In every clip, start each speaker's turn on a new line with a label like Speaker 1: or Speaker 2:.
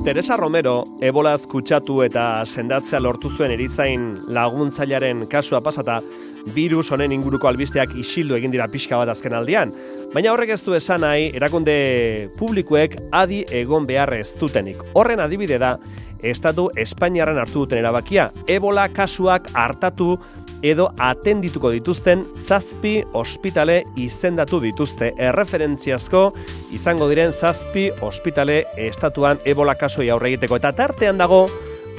Speaker 1: Teresa Romero, ebolaz kutsatu eta sendatzea lortu zuen erizain laguntzailaren kasua pasata, virus honen inguruko albisteak isildu egin dira pixka bat azken aldian. Baina horrek ez du esan nahi, erakunde publikoek adi egon behar ez dutenik. Horren adibide da, Estatu Espainiarran hartu duten erabakia, ebola kasuak hartatu edo atendituko dituzten 7 ospitale izendatu dituzte. Erreferentziazko izango diren 7 ospitale estatuan ebola kasoi aurre egiteko. Eta tartean dago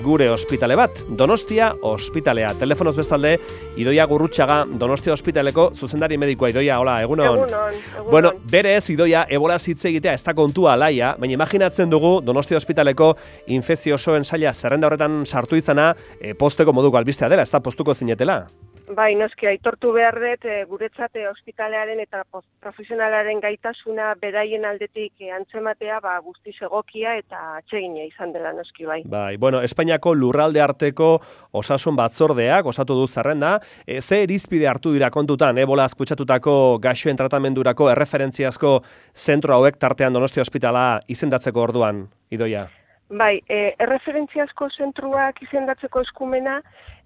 Speaker 1: gure ospitale bat, Donostia ospitalea. Telefonoz bestalde, Idoia Gurrutxaga, Donostia ospitaleko zuzendari medikoa. Idoia, hola, egunon.
Speaker 2: Egunon.
Speaker 1: Bueno, berez, Idoia, ebola hitz egitea ez da kontua alaia, baina imaginatzen dugu Donostia ospitaleko infekziosoen saila zerrenda horretan sartu izana posteko moduko albistea dela, ez da postuko zinetela.
Speaker 2: Bai, noski, aitortu behar dut, guretzat ospitalearen eta profesionalaren gaitasuna beraien aldetik antzematea guztiz egokia eta atsegina izan dela noski bai.
Speaker 1: Bai, bueno, Espainiako lurralde arteko osasun batzordeak osatu du zerrenda, ze irizpide hartu dira kontutan ebolaz kutsatutako gaixoen tratamendurako erreferentziazko zentro hauek tartean Donostia ospitala izendatzeko orduan, Idoia?
Speaker 2: Bai, erreferentziazko zentruak izendatzeko eskumena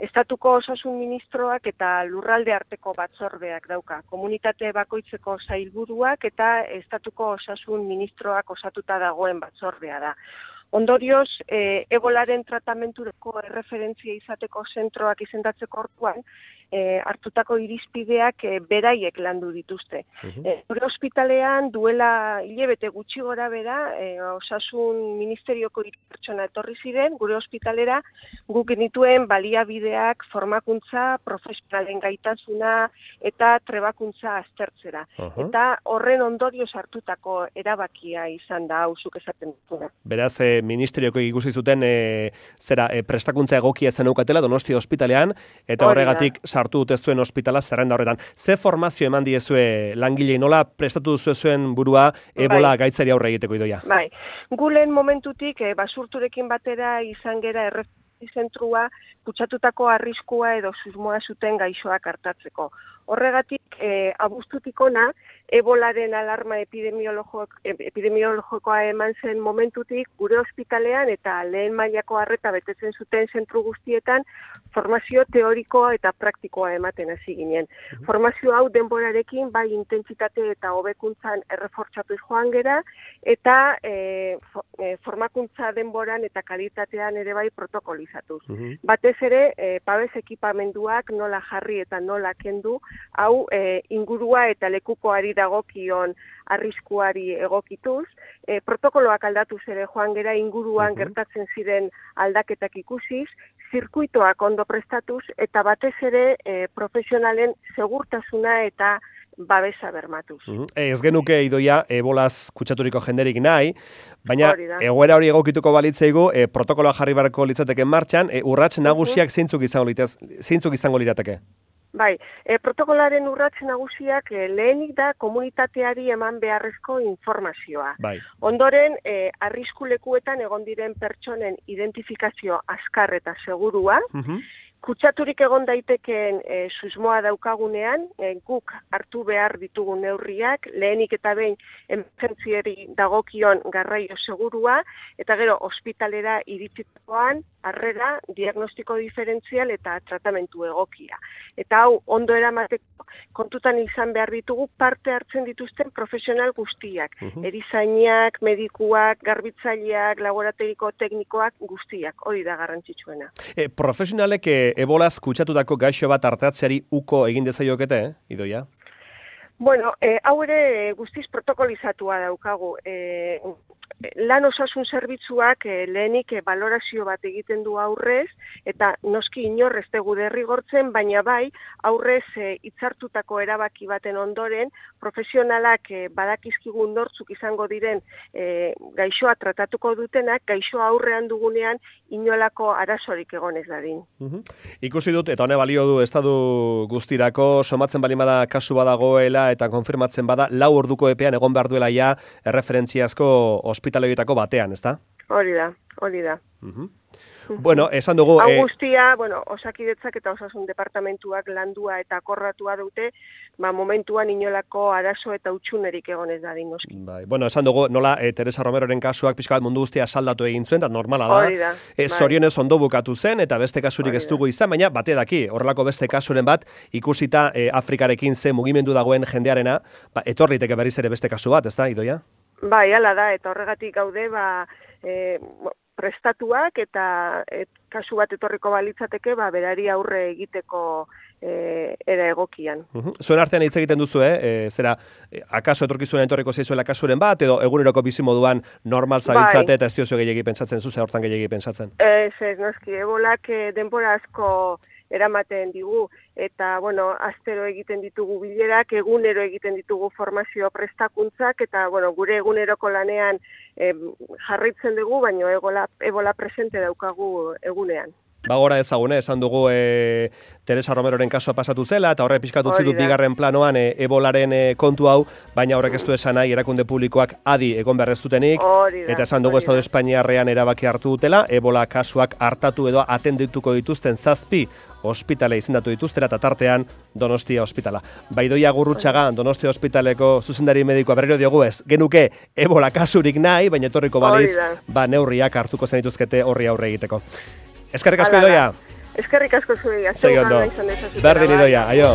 Speaker 2: Estatuko Osasun Ministroak eta lurralde arteko batzordeak dauka. Komunitate bakoitzeko sailburuak eta Estatuko Osasun Ministroak osatuta dagoen batzordea da. Ondorioz, ebolaren tratamenturako erreferentzia izateko zentroak izendatzeko orduan, hartutako irizpideak beraiek landu dituzte. Gure ospitalean duela hilabete gutxi gora bera, Osasun Ministerioko 3 pertsona etorri ziren, gure ospitalera guk genituen baliabideak, formakuntza, profesionalen gaitasuna eta trebakuntza aztertzera. Eta horren ondorioz hartutako erabakia izan da hauzuk esaten dutuna.
Speaker 1: Beraz, ministerioko ikusi zuten prestakuntza egokia zen eukatela Donostia ospitalean, eta horregatik sartu dute zuen ospitala zerrenda horretan. Ze formazio eman diezue langilei, nola prestatu zuen burua ebola gaitzari aurre egiteko, Idoia?
Speaker 2: Bai, gulen momentutik basurturekin batera izan gera zentrua kutsatutako arriskua edo susmoa zuten gaixoak hartatzeko. Horregatik, abuztutik ona, ebolaren alarma epidemiologikoa eman zen momentutik gure ospitalean eta lehen mailako arreta betetzen zuten zentru guztietan formazio teorikoa eta praktikoa ematen hasi ginen. Formazio hau denborarekin bai intentsitate eta hobekuntzan errefortzatu joan gera eta formakuntza denboran eta kalitatean ere bai protokolizatuz. Batez ere, babes ekipamenduak nola jarri eta nola kendu, hau ingurua eta lekukoari dagokion arriskuari egokituz, protokoloak aldatuz ere joan gera inguruan gertatzen ziren aldaketak ikusiz, zirkuitoak ondo prestatuz eta batez ere profesionalen segurtasuna eta babesa bermatuz.
Speaker 1: Ez genuke, Idoia, ebolaz kutsaturiko jenderik nahi, baina egoera hori egokituko balitzaigu, protokoloa jarri beharko litzateke martxan, urrats nagusiak zeintzuk izango lirateke?
Speaker 2: Bai, protokolaren urrats nagusiak lehenik da komunitateari eman beharrezko informazioa.
Speaker 1: Bai.
Speaker 2: Ondoren, arrisku lekuetan egon diren pertsonen identifikazio azkar eta segurua, kutsaturik egon daitekeen susmoa daukagunean, guk hartu behar ditugun neurriak, lehenik eta behin emergentziari dagokion garraio segurua, eta gero ospitalera iritsitakoan, harrera, diagnostiko diferentzial eta tratamentu egokia. Eta hau, ondo eramateko kontutan izan behar ditugu parte hartzen dituzten profesional guztiak. Erizainak, medikuak, garbitzaileak, laboratoriko teknikoak guztiak, hori da garrantzitsuena.
Speaker 1: Profesionalek ebolaz kutsatutako gaixo bat artatzeari uko egin dezaiokete, Idoia?
Speaker 2: Bueno, hau ere guztiz protokolizatua daukagu. Lan osasun zerbitzuak lehenik balorazio bat egiten du aurrez, eta noski inor ez dugu derrigortzen, baina bai aurrez hitzartutako erabaki baten ondoren, profesionalak badakizkigun nortzuk izango diren gaixoa tratatuko dutenak, gaixoa aurrean dugunean inolako arazorik egon ez dadin.
Speaker 1: Ikusi dut, eta hone balio du estadu guztirako, somatzen bali bada kasu badagoela eta konfirmatzen bada, 4 orduko epean egon behar duela ja erreferentziazko ospitaleoetako batean, ezta?
Speaker 2: Hori da, Hori da.
Speaker 1: Bueno, esan dugu...
Speaker 2: Hau guztia, Osakidetzak eta Osasun Departamentuak landua eta akordatua dute, momentuan inolako arazo eta utxunerik egonez da dingoski.
Speaker 1: Bai, esan dugu, nola Teresa Romeroren kasuak pixka bat mundu guztia saldatu egin zuen, eta normala da.
Speaker 2: Hori da.
Speaker 1: Zorionez ondo bukatu zen, eta beste kasurik ez dugu izan, baina bate daki, horrelako beste kasuren bat, ikusita Afrikarekin ze mugimendu dagoen jendearena, etorriteke berriz ere beste kasu bat, ez da, Idoia?
Speaker 2: Bai, hala da, eta horregatik gaude, prestatuak eta kasu bat etorriko balitzateke, berari aurre egiteko era egokian.
Speaker 1: Zuen artean hitz egiten duzu, zera, akaso etorkizunen etorriko zaizuela kasuren bat, edo eguneroko bizimoduan normal zabiltzate eta ez diozu gehiagi pentsatzen, zuze hortan gehiagi pentsatzen?
Speaker 2: Ez, noski, ebolak denbora asko eramaten digu, eta, astero egiten ditugu bilerak, egunero egiten ditugu formazio prestakuntzak, eta, gure eguneroko lanean jarraitzen dugu, baina ebola presente daukagu egunean.
Speaker 1: Bagora ezagune, esan dugu Teresa Romeroren kasua pasatu zela, eta horre pixkat utzi dut bigarren planoan ebolaren kontu hau, baina horrek ez du esan nahi erakunde publikoak adi egon behar ez dutenik, eta esan dugu Estado Espainiarrean erabaki hartu dutela, ebola kasuak hartatu edo atendituko dituzten 7 ospitale izendatu dituztera, eta tartean Donostia ospitala. Idoia Gurrutxaga, Donostia ospitaleko zuzendari medikoa berriro diogu ez, genuke ebola kasurik nahi, baina etorriko balitz, neurriak hartuko zen dituzkete horri aurre egiteko. Eskerrik asko, Idoia.
Speaker 2: Eskerrik asko zuei.
Speaker 1: Segi ondo. Berdin, Idoia. Aio.